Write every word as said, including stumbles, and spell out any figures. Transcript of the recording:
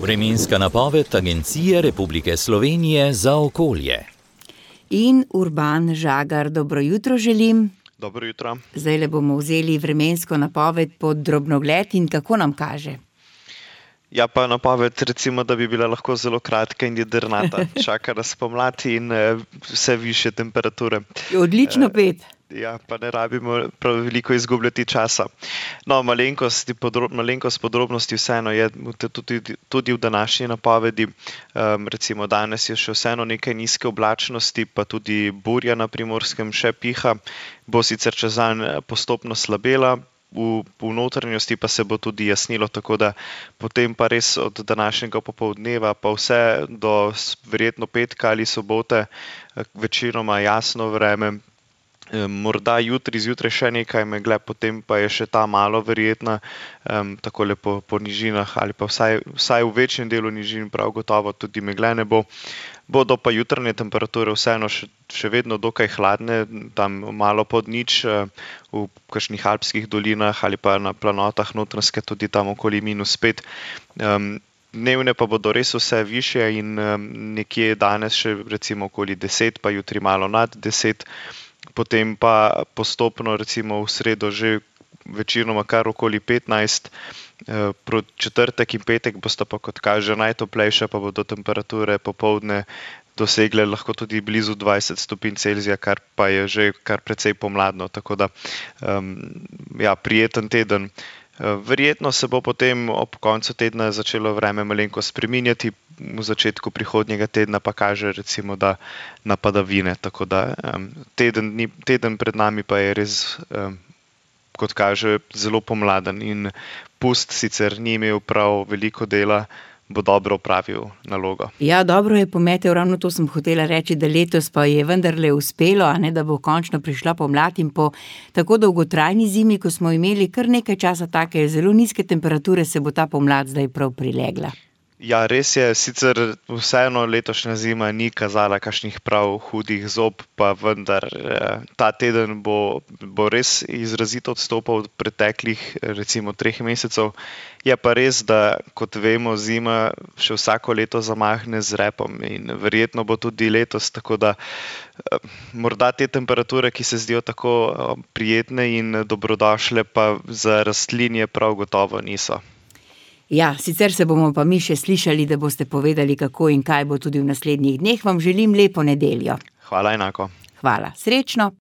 Vremenska napoved Agencije Republike Slovenije za okolje. In Urban Žagar, dobro jutro želim. Dobro jutro. Zdajle bomo vzeli vremensko napoved pod drobnogled in kako nam kaže? Ja, pa napoved recimo, da bi bila lahko zelo kratka in jedrnata. Čaka nas pomlad in uh, vse višje temperature. Odlično, Pet. Uh, ja, pa ne rabimo prav veliko izgubljati časa. No, malenkost, podrob, malenkost podrobnosti vseeno je tudi, tudi v današnji napovedi. Um, recimo danes je še vseeno nekaj nizke oblačnosti, pa tudi burja na Primorskem še piha. Bo sicer čez dan postopno slabela, V, v notranjosti pa se bo tudi jasnilo, tako da potem pa res od današnjega popoldneva pa vse do verjetno petka ali sobote večinoma jasno vreme. Morda jutri zjutraj še nekaj megle, potem pa je še ta malo verjetna, um, takole po, po nižinah ali pa vsaj, vsaj v večjem delu nižin prav gotovo tudi megle ne bo. Bodo pa jutranje temperature vseeno še, še vedno dokaj hladne, tam malo pod nič, v kakšnih alpskih dolinah ali pa na planotah Notranjske tudi tam okoli minus pet. Um, dnevne pa bodo res vse višje in um, nekje danes še recimo okoli deset, pa jutri malo nad deset. Potem pa postopno recimo v sredo že večinoma kar okoli petnajst, proti četrtek in petek bosta pa kot kaže najtoplejša, pa bodo temperature popoldne dosegle lahko tudi blizu dvajset stopinj Celzija, kar pa je že kar precej pomladno, tako da um, ja, prijeten teden. Verjetno se bo potem ob koncu tedna začelo vreme malenko spreminjati, v začetku prihodnjega tedna pa kaže recimo, da na padavine, tako da um, teden, dni, teden pred nami pa je res, um, kot kaže, zelo pomladen in pust sicer ni imel prav veliko dela, bo dobro opravil nalogo. Ja, dobro je pometel, ravno to sem hotela reči, da letos pa je vendarle uspelo, a ne, da bo končno prišla pomlad in po tako dolgotrajni zimi, ko smo imeli kar nekaj časa take zelo nizke temperature, se bo ta pomlad zdaj prav prilegla. Ja, res je, sicer vseeno letošnja zima ni kazala kakšnih prav hudih zob, pa vendar ta teden bo, bo res izrazito odstopal od preteklih recimo treh mesecev. Je pa res, da kot vemo, zima še vsako leto zamahne z repom in verjetno bo tudi letos, tako da morda te temperature, ki se zdijo tako prijetne in dobrodošle, pa za rastlinje prav gotovo niso. Ja, sicer se bomo pa mi še slišali, da boste povedali, kako in kaj bo tudi v naslednjih dneh. Vam želim lepo nedeljo. Hvala enako. Hvala, srečno.